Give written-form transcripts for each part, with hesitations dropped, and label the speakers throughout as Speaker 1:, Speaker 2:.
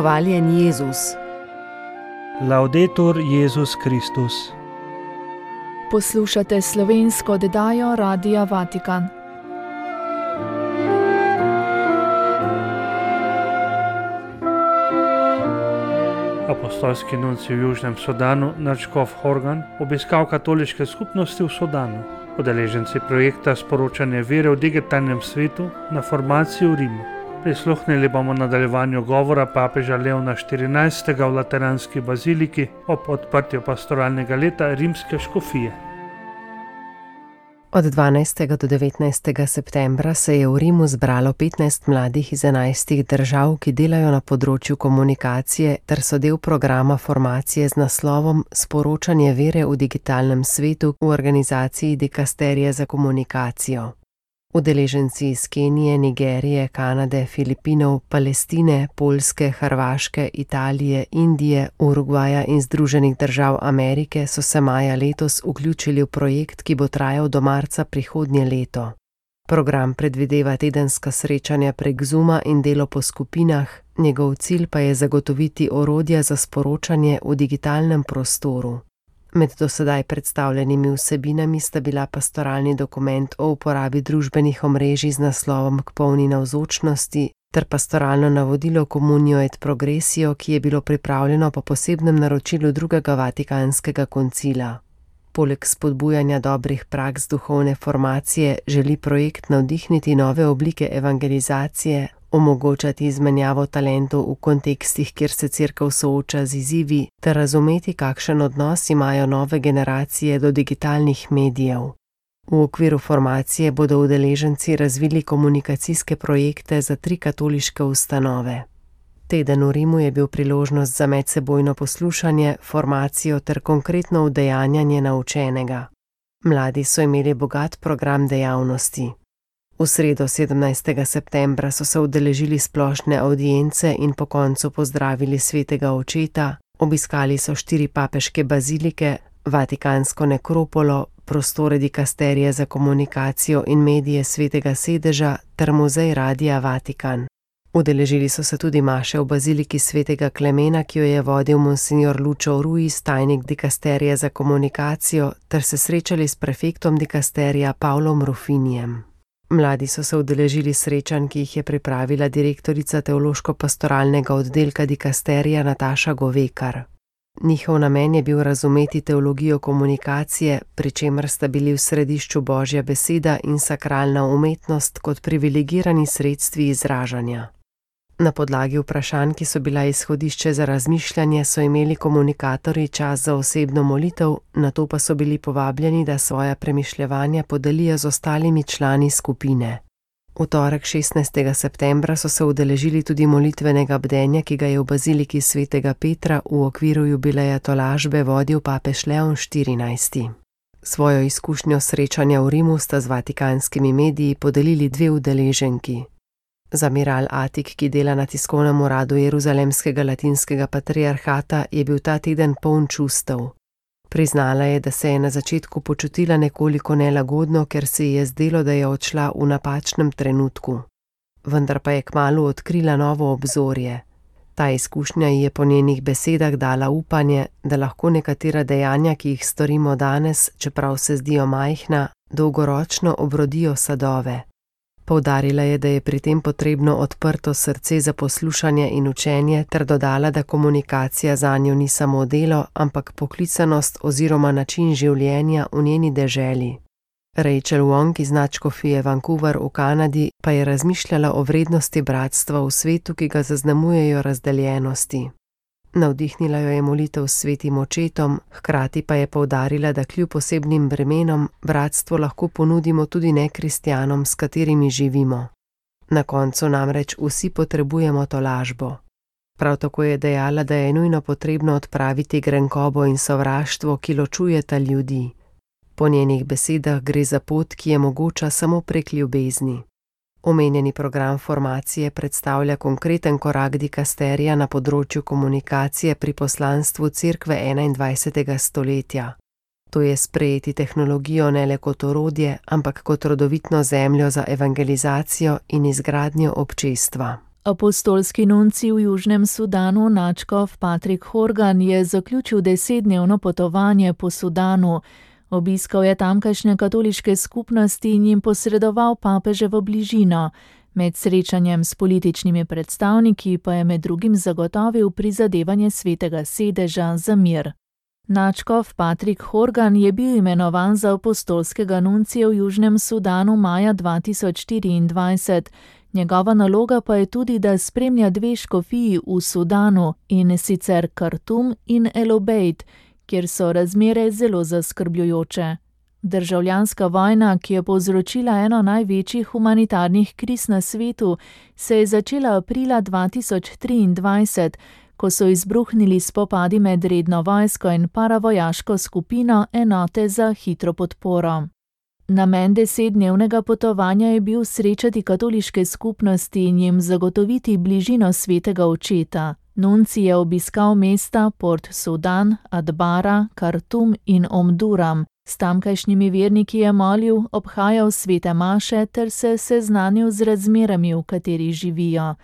Speaker 1: Hvaljen Jezus.
Speaker 2: Laudetur Jezus Kristus.
Speaker 3: Poslušate slovensko oddajo Radia Vatikan.
Speaker 2: Apostolski nuncij v Južnem Sudanu, nadškof Horgan, obiskal katoliške skupnosti v Sudanu. Udeleženci projekta Sporočanje vere v digitalnem svetu na formaciji v Rimu. Prisluhnili bomo nadaljevanju govora papeža Leona XIV. V Lateranski baziliki ob odprtju pastoralnega leta rimske škofije.
Speaker 1: Od 12. do 19. septembra se je v Rimu zbralo 15 mladih iz 11 držav, ki delajo na področju komunikacije ter so del programa formacije z naslovom Sporočanje vere v digitalnem svetu v organizaciji Dikasterije za komunikacijo. Udeleženci iz Kenije, Nigerije, Kanade, Filipinov, Palestine, Poljske, Hrvaške, Italije, Indije, Urugvaja in Združenih držav Amerike so se maja letos vključili v projekt, ki bo trajal do marca prihodnje leto. Program predvideva tedenska srečanja prek Zooma in delo po skupinah, njegov cilj pa je zagotoviti orodja za sporočanje v digitalnem prostoru. Med dosedaj predstavljenimi vsebinami sta bila pastoralni dokument o uporabi družbenih omrežij z naslovom K polni navzočnosti ter pastoralno navodilo Communio et Progressio, ki je bilo pripravljeno po posebnem naročilu drugega Vatikanskega koncila. Poleg spodbujanja dobrih praks duhovne formacije želi projekt navdihniti nove oblike evangelizacije, omogočati izmenjavo talentov v kontekstih, kjer se Cerkev sooča z izzivi, ter razumeti, kakšen odnos imajo nove generacije do digitalnih medijev. V okviru formacije bodo udeleženci razvili komunikacijske projekte za 3 katoliške ustanove. Teden v Rimu je bil priložnost za medsebojno poslušanje, formacijo ter konkretno udejanjanje naučenega. Mladi so imeli bogat program dejavnosti. V sredo 17. septembra so se udeležili splošne avdience in po koncu pozdravili svetega očeta, obiskali so 4 papeške bazilike, Vatikansko nekropolo, prostore Dikasterije za komunikacijo in medije svetega sedeža ter muzej Radia Vatikan. Udeležili so se tudi maše v baziliki svetega Klemena, ki jo je vodil monsignor Lucio Ruiz, tajnik Dikasterije za komunikacijo, ter se srečali s prefektom Dikasterija Pavlom Rufinijem. Mladi so se udeležili srečanj, ki jih je pripravila direktorica teološko-pastoralnega oddelka Dikasterija Nataša Govekar. Njihov namen je bil razumeti teologijo komunikacije, pri čemer sta bili v središču Božja beseda in sakralna umetnost kot privilegirani sredstvi izražanja. Na podlagi vprašanj, ki so bila izhodišče za razmišljanje, so imeli komunikatorji čas za osebno molitev, nato pa so bili povabljeni, da svoja premišljevanja podelijo z ostalimi člani skupine. V torek 16. septembra so se udeležili tudi molitvenega bdenja, ki ga je v baziliki svetega Petra v okviru jubileja tolažbe vodil papež Leon XIV. Svojo izkušnjo srečanja v Rimu sta z vatikanskimi mediji podelili 2 udeleženki. Zamiral Atik, ki dela na tiskovnem uradu Jeruzalemskega latinskega patriarhata, je bil ta teden poln čustev. Priznala je, da se je na začetku počutila nekoliko nelagodno, ker se ji je zdelo, da je odšla v napačnem trenutku. Vendar pa je kmalu odkrila novo obzorje. Ta izkušnja ji je po njenih besedah dala upanje, da lahko nekatera dejanja, ki jih storimo danes, čeprav se zdijo majhna, dolgoročno obrodijo sadove. Poudarila je, da je pri tem potrebno odprto srce za poslušanje in učenje, ter dodala, da komunikacija zanjo ni samo delo, ampak poklicanost oziroma način življenja v njeni deželi. Rachel Wong iz nadškofije Vancouver v Kanadi pa je razmišljala o vrednosti bratstva v svetu, ki ga zaznamujejo razdeljenosti. Navdihnila jo je molitev s svetim očetom, hkrati pa je poudarila, da kljub posebnim bremenom bratstvo lahko ponudimo tudi nekristjanom, s katerimi živimo. Na koncu namreč vsi potrebujemo tolažbo. Prav tako je dejala, da je nujno potrebno odpraviti grenkobo in sovraštvo, ki ločujeta ljudi. Po njenih besedah gre za pot, ki je mogoča samo prek ljubezni. Omenjeni program formacije predstavlja konkreten korak dikasterija na področju komunikacije pri poslanstvu Cerkve 21. stoletja. To je sprejeti tehnologijo ne le kot orodje, ampak kot rodovitno zemljo za evangelizacijo in izgradnjo občestva.
Speaker 3: Apostolski nuncij v Južnem Sudanu nadškof Patrick Horgan je zaključil 10-dnevno potovanje po Sudanu. Obiskal je tamkajšnje katoliške skupnosti in jim posredoval papeževo bližino. Med srečanjem s političnimi predstavniki pa je med drugim zagotovil prizadevanje Svetega sedeža za mir. Nadškof Patrick Horgan je bil imenovan za apostolskega nuncija v Južnem Sudanu maja 2024. Njegova naloga pa je tudi, da spremlja 2 škofiji v Sudanu, in sicer Kartum in El Obeid, kjer so razmere zelo zaskrbljujoče. Državljanska vojna, ki je povzročila eno največjih humanitarnih kriz na svetu, se je začela aprila 2023, ko so izbruhnili spopadi med redno vojsko in paravojaško skupino enote za hitro podporo. Namen 10-dnevnega potovanja je bil srečati katoliške skupnosti in jim zagotoviti bližino svetega očeta. Nuncij je obiskal mesta Port Sudan, Adbara, Kartum in Omduram. S tamkajšnjimi verniki je molil, obhajal svete maše ter se seznanil z razmerami, v katerih živijo.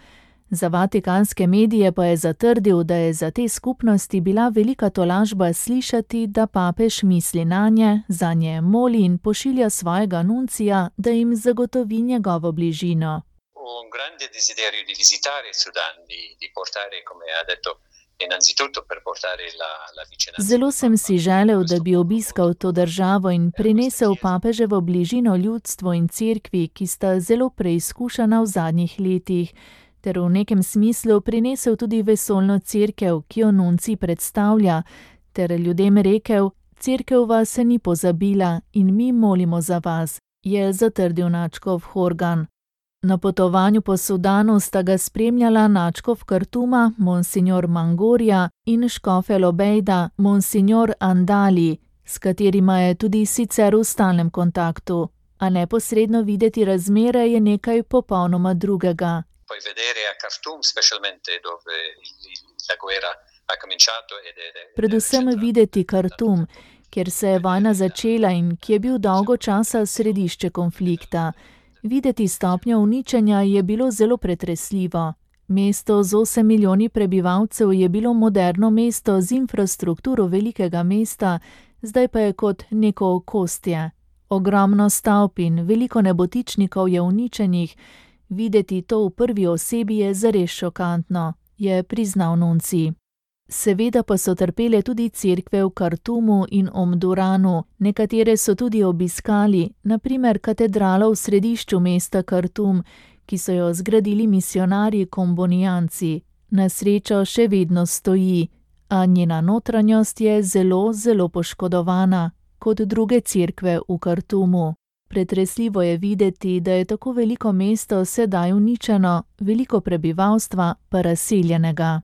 Speaker 3: Za vatikanske medije pa je zatrdil, da je za te skupnosti bila velika tolažba slišati, da papež misli nanje, zanje moli in pošilja svojega nuncija, da jim zagotovi njegovo bližino.
Speaker 4: Un grande desiderio di visitare Sudan, di portare, come ha detto, innanzitutto per portare la vicinanza.
Speaker 3: Zelo sem si želel, da bi obiskal to državo in prinesel papeževo bližino ljudstvu in cerkvi, ki sta zelo preizkušena v zadnjih letih, ter v nekem smislu prinesel tudi vesoljno cerkev, ki jo nuncij predstavlja, ter ljudem rekel, cerkev vas ni pozabila in mi molimo za vas, je zatrdil nadškof Horgan. Na potovanju po Sudanu sta ga spremljala nadškof Kartuma, monsignor Mangorja, in škof El Obeida, monsignor Andali, s katerima je tudi sicer v stalnem kontaktu. A neposredno videti razmere je nekaj popolnoma drugega.
Speaker 4: Poi vedere a Khartoum, specialmente dove la guerra ha cominciato
Speaker 3: Predvsem videti Kartum, kjer se je vojna začela in ki je bil dolgo časa središče konflikta. Videti stopnjo uničenja je bilo zelo pretresljivo. Mesto z 8 milijoni prebivalcev je bilo moderno mesto z infrastrukturo velikega mesta, zdaj pa je kot neko okostje. Ogromno stavb in veliko nebotičnikov je uničenih. Videti to v prvi osebi je zares šokantno, je priznal nuncij. Seveda pa so trpele tudi cerkve v Kartumu in Omduranu, nekatere so tudi obiskali, na primer katedralo v središču mesta Kartum, ki so jo zgradili misionarji kombonijanci. Na srečo še vedno stoji, a njena notranjost je zelo, zelo poškodovana, kot druge cerkve v Kartumu. Pretresljivo je videti, da je tako veliko mesto sedaj uničeno, veliko prebivalstva pa razseljenega.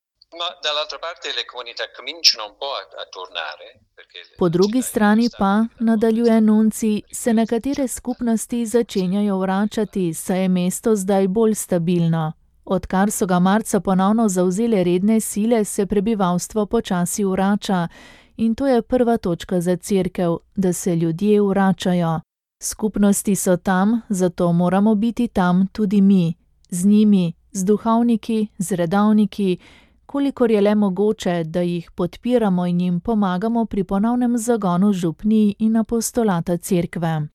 Speaker 3: Po drugi strani pa, nadaljuje nuncij, se nekatere skupnosti začenjajo vračati, saj je mesto zdaj bolj stabilno. Odkar so ga marca ponovno zavzele redne sile, se prebivalstvo počasi vrača in to je prva točka za cerkev, da se ljudje vračajo. Skupnosti so tam, zato moramo biti tam tudi mi, z njimi, z duhovniki, z redovniki, kolikor je le mogoče, da jih podpiramo in jim pomagamo pri ponovnem zagonu župnij in apostolata cerkve.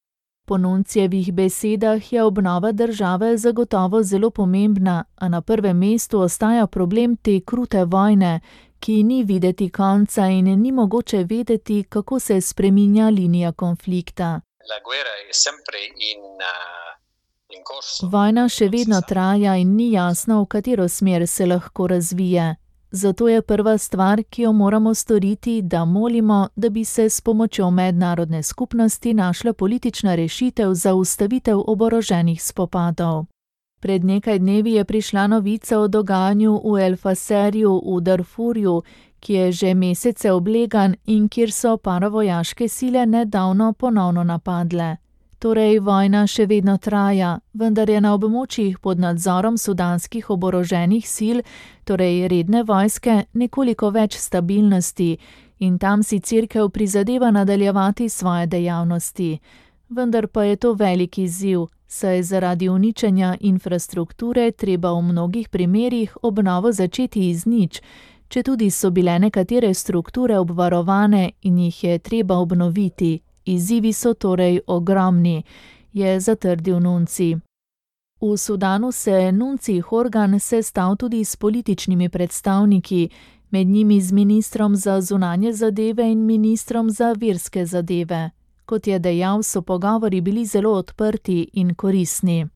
Speaker 3: Po nuncijevih besedah je obnova države zagotovo zelo pomembna, a na prvem mestu ostaja problem te krute vojne, ki ni videti konca in ni mogoče vedeti, kako se spreminja linija konflikta. Vojna še vedno traja in ni jasno, v katero smer se lahko razvije. Zato je prva stvar, ki jo moramo storiti, da molimo, da bi se s pomočjo mednarodne skupnosti našla politična rešitev za ustavitev oboroženih spopadov. Pred nekaj dnevi je prišla novica o dogajanju v El Faserju v Darfurju, ki je že mesece oblegan in kjer so paravojaške sile nedavno ponovno napadle. Torej, vojna še vedno traja, vendar je na območjih pod nadzorom sudanskih oboroženih sil, torej redne vojske, nekoliko več stabilnosti in tam si cerkev prizadeva nadaljevati svoje dejavnosti. Vendar pa je to velik izziv, saj zaradi uničenja infrastrukture treba v mnogih primerih obnovo začeti iz nič, četudi so bile nekatere strukture obvarovane in jih je treba obnoviti. Izzivi so torej ogromni, je zatrdil nuncij. V Sudanu se nuncij Horgan sestal tudi s političnimi predstavniki, med njimi z ministrom za zunanje zadeve in ministrom za verske zadeve. Kot je dejal, so pogovori bili zelo odprti in koristni.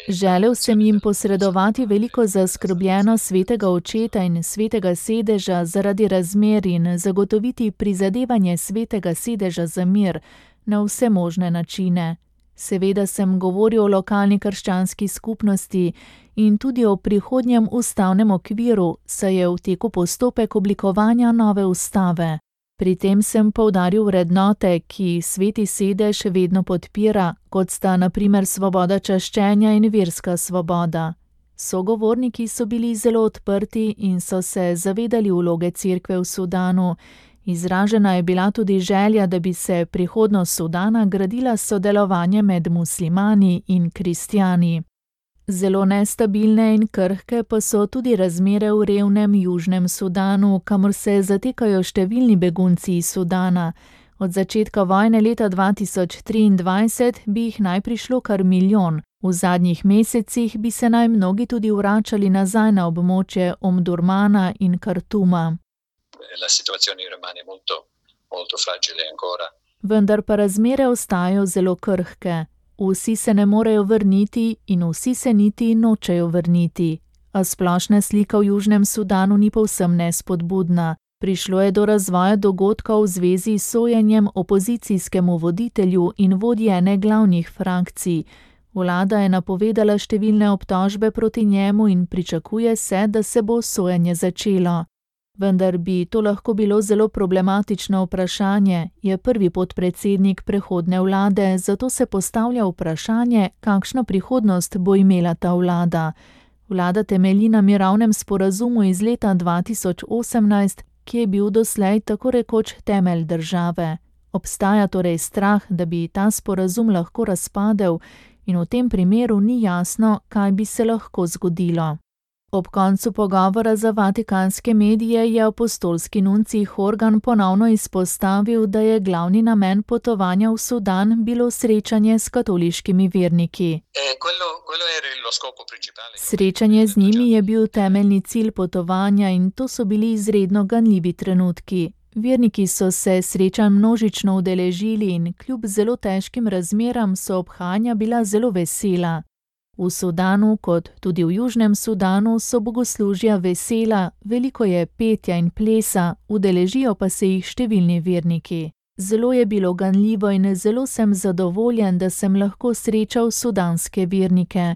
Speaker 3: Želel sem jim posredovati veliko zaskrbljenost svetega očeta in svetega sedeža zaradi razmer in zagotoviti prizadevanje svetega sedeža za mir na vse možne načine. Seveda sem govoril o lokalni krščanski skupnosti in tudi o prihodnjem ustavnem okviru, saj je v teku postopek oblikovanja nove ustave. Pri tem sem poudaril vrednote, ki sveti sedež vedno podpira, kot sta na primer svoboda čaščenja in verska svoboda. Sogovorniki so bili zelo odprti in so se zavedali vloge cerkve v Sudanu. Izražena je bila tudi želja, da bi se prihodnost Sudana gradila sodelovanje med muslimani in kristjani. Zelo nestabilne in krhke pa so tudi razmere v revnem Južnem Sudanu, kamor se zatekajo številni begunci iz Sudana. Od začetka vojne leta 2023 bi jih naj prišlo kar 1 milijon. V zadnjih mesecih bi se naj mnogi tudi vračali nazaj na območje Omdurmana in Kartuma. Vendar pa razmere ostajajo zelo krhke. Vsi se ne morejo vrniti in vsi se niti nočejo vrniti. A splošna slika v Južnem Sudanu ni povsem nespodbudna. Prišlo je do razvoja dogodkov v zvezi s sojenjem opozicijskemu voditelju in vodji ene glavnih frakcij. Vlada je napovedala številne obtožbe proti njemu in pričakuje se, da se bo sojenje začelo. Vendar bi to lahko bilo zelo problematično vprašanje, je prvi podpredsednik prehodne vlade, zato se postavlja vprašanje, kakšno prihodnost bo imela ta vlada. Vlada temelji na mirovnem sporazumu iz leta 2018, ki je bil doslej tako rekoč temelj države. Obstaja torej strah, da bi ta sporazum lahko razpadel in v tem primeru ni jasno, kaj bi se lahko zgodilo. Ob koncu pogovora za vatikanske medije je apostolski nuncij Horgan ponovno izpostavil, da je glavni namen potovanja v Sudan bilo srečanje s katoliškimi verniki. Srečanje z njimi je bil temeljni cilj potovanja in to so bili izredno ganljivi trenutki. Verniki so se srečanj množično udeležili in kljub zelo težkim razmeram so obhajanja bila zelo vesela. V Sudanu, kot tudi v Južnem Sudanu, so bogoslužja vesela, veliko je petja in plesa, udeležijo pa se jih številni verniki. Zelo je bilo ganljivo in zelo sem zadovoljen, da sem lahko srečal sudanske vernike.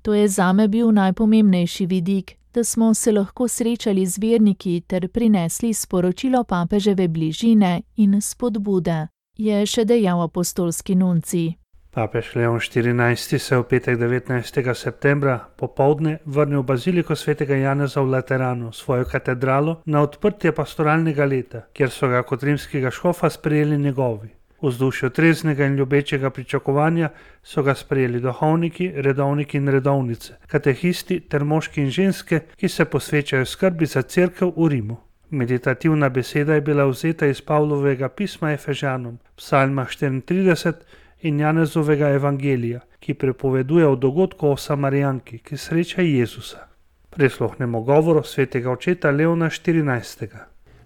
Speaker 3: To je zame bil najpomembnejši vidik, da smo se lahko srečali z verniki ter prinesli sporočilo papeževe bližine in spodbude, je še dejal apostolski nuncij.
Speaker 2: Papež Leon XIV se v petek 19. septembra popoldne vrnil v baziliko svetega Janeza v Lateranu, svojo katedralo, na odprtje pastoralnega leta, kjer so ga kot rimskega škofa sprejeli njegovi. V vzdušju treznega in ljubečega pričakovanja so ga sprejeli duhovniki, redovniki in redovnice, katehisti ter moški in ženske, ki se posvečajo skrbi za cerkev v Rimu. Meditativna beseda je bila vzeta iz Pavlovega pisma Efežanom, psalma 34 in Janezovega evangelija, ki prepoveduje o dogodku o Samarijanki, ki sreča Jezusa. Prisluhnemo govoru svetega očeta Leona XIV.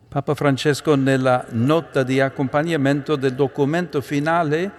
Speaker 5: Papa Francesco nella nota di accompagnamento del documento finale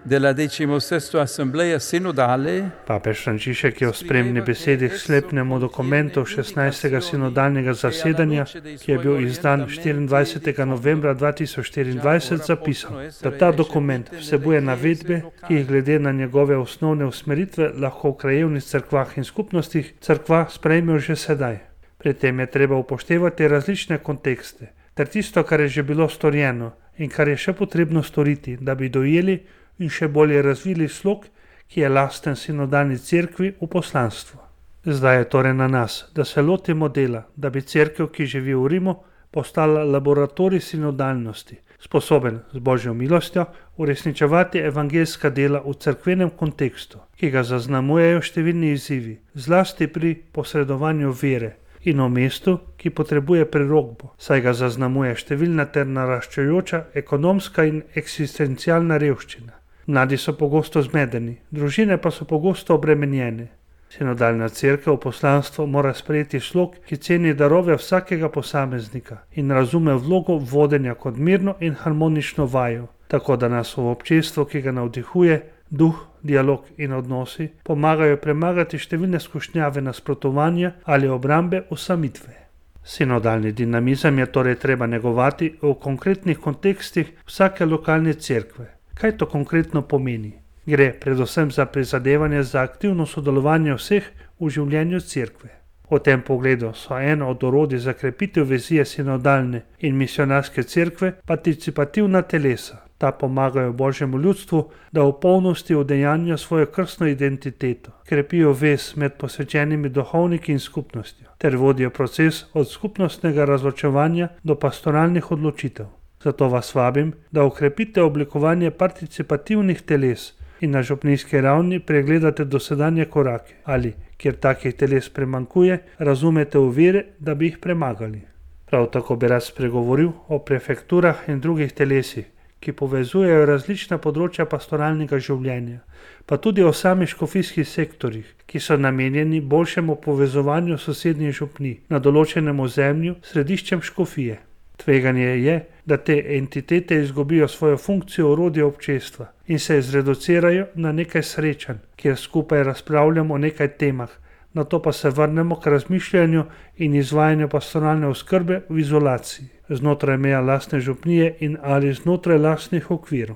Speaker 5: della 16ª Assemblea Sinodale.
Speaker 2: Papež Frančišek je v spremni besedi k sklepnemu dokumentu 16. sinodalnega zasedanja, ki je bil izdan 24. novembra 2024, zapisal, da ta dokument vsebuje navedbe, ki jih glede na njegove osnovne usmeritve lahko v krajevnih cerkvah in skupnostih cerkva sprejmejo že sedaj. Pri tem je treba upoštevati različne kontekste, ter tisto, kar je že bilo storjeno in kar je še potrebno storiti, da bi dojeli in še bolje razvili slog, ki je lasten sinodalni cerkvi v poslanstvu. Zdaj je torej na nas, da se lotimo dela, da bi cerkev, ki živi v Rimu, postala laboratorij sinodalnosti, sposoben z Božjo milostjo uresničevati evangeljska dela v cerkvenem kontekstu, ki ga zaznamujejo številni izzivi, zlasti pri posredovanju vere in o mestu, ki potrebuje prerokbo, saj ga zaznamuje številna ter naraščajoča ekonomska in eksistencialna revščina. Mladi so pogosto zmedeni, družine pa so pogosto obremenjene. Sinodalna cerkev v poslanstvo mora sprejeti slog, ki ceni darove vsakega posameznika in razume vlogo vodenja kot mirno in harmonično vajo, tako da nas v občestvu, ki ga navdihuje, duh, dialog in odnosi, pomagajo premagati številne skušnjave nasprotovanja ali obrambe osamitve. Sinodalni dinamizem je torej treba negovati v konkretnih kontekstih vsake lokalne cerkve. Kaj to konkretno pomeni? Gre predvsem za prizadevanje za aktivno sodelovanje vseh v življenju cerkve. V tem pogledu so eno od orodij za krepitev vizije sinodalne in misionarske cerkve participativna telesa. Ta pomagajo Božjemu ljudstvu, da v polnosti udejanja svojo krstno identiteto, krepijo vez med posvečenimi duhovniki in skupnostjo, ter vodijo proces od skupnostnega razločevanja do pastoralnih odločitev. Zato vas vabim, da okrepite oblikovanje participativnih teles in na župnijski ravni pregledate dosedanje korake ali, kjer takih teles premankuje, razumete ovire, da bi jih premagali. Prav tako bi rad spregovoril o prefekturah in drugih telesih, ki povezujejo različna področja pastoralnega življenja, pa tudi o samih škofijskih sektorjih, ki so namenjeni boljšemu povezovanju sosednjih župnij na določenem ozemlju s središčem škofije. Tveganje je, da te entitete izgubijo svojo funkcijo orodja občestva in se zreducirajo na nekaj srečanj, kjer skupaj razpravljamo o nekaj temah, nato pa se vrnemo k razmišljanju in izvajanju pastoralne oskrbe v izolaciji, znotraj meja lastne župnije in ali znotraj lastnih okvirov.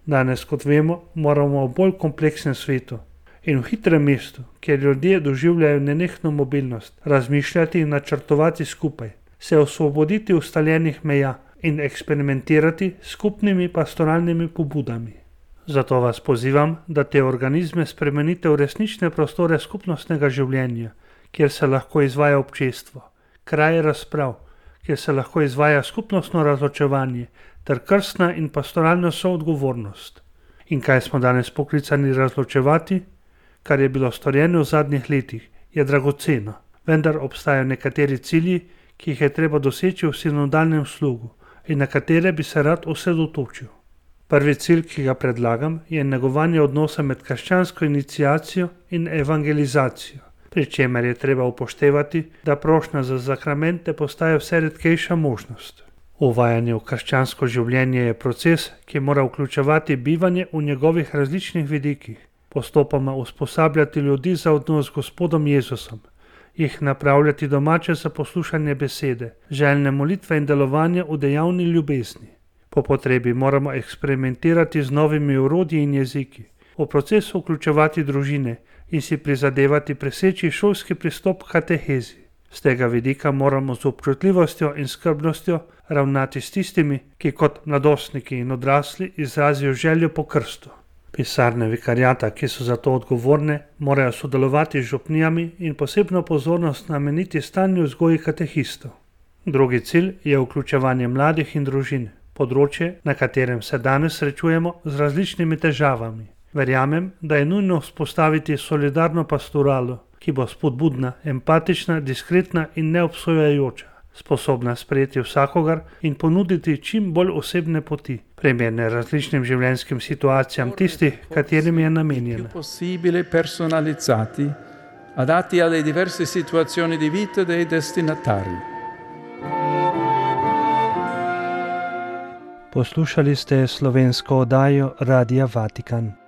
Speaker 2: Danes, kot vemo, moramo v bolj kompleksnem svetu in v hitrem mestu, kjer ljudje doživljajo nenehno mobilnost, razmišljati in načrtovati skupaj, se osvoboditi ustaljenih meja in eksperimentirati s skupnimi pastoralnimi pobudami. Zato vas pozivam, da te organizme spremenite v resnične prostore skupnostnega življenja, kjer se lahko izvaja občestvo, kraje razprav, kjer se lahko izvaja skupnostno razločevanje ter krstna in pastoralna soodgovornost. In kaj smo danes poklicani razločevati? Kar je bilo storjeno v zadnjih letih, je dragoceno, vendar obstajajo nekateri cilji, ki jih je treba doseči v sinodalnem slogu in na katere bi se rad osredotočil. Prvi cilj, ki ga predlagam, je negovanje odnosa med krščansko iniciacijo in evangelizacijo, pri čemer je treba upoštevati, da prošnja za zakramente postaja vse redkejša možnost. Uvajanje v krščansko življenje je proces, ki mora vključevati bivanje v njegovih različnih vidikih, postopoma usposabljati ljudi za odnos z Gospodom Jezusom, jih napravljati domače za poslušanje besede, željne molitve in delovanje v dejavni ljubezni. Po potrebi moramo eksperimentirati z novimi orodji in jeziki, v procesu vključevati družine in si prizadevati preseči šolski pristop k katehezi. Z tega vidika moramo z občutljivostjo in skrbnostjo ravnati s tistimi, ki kot mladostniki in odrasli izrazijo željo po krstu. Pisarne vikariata, ki so za to odgovorne, morajo sodelovati z župnijami in posebno pozornost nameniti stalni vzgoji katehistov. Drugi cilj je vključevanje mladih in družin, področje, na katerem se danes srečujemo z različnimi težavami. Verjamem, da je nujno vzpostaviti solidarno pastoralo, ki bo spodbudna, empatična, diskretna in neobsojajoča, sposobna sprejeti vsakogar in ponuditi čim bolj osebne poti, primerne različnim življenjskim situacijam tistih, katerim je namenjena.
Speaker 5: Possibile personalizzati, adatti alle diverse situazioni di vita dei destinatari.
Speaker 2: Poslušali ste slovensko oddajo Radia Vatikan.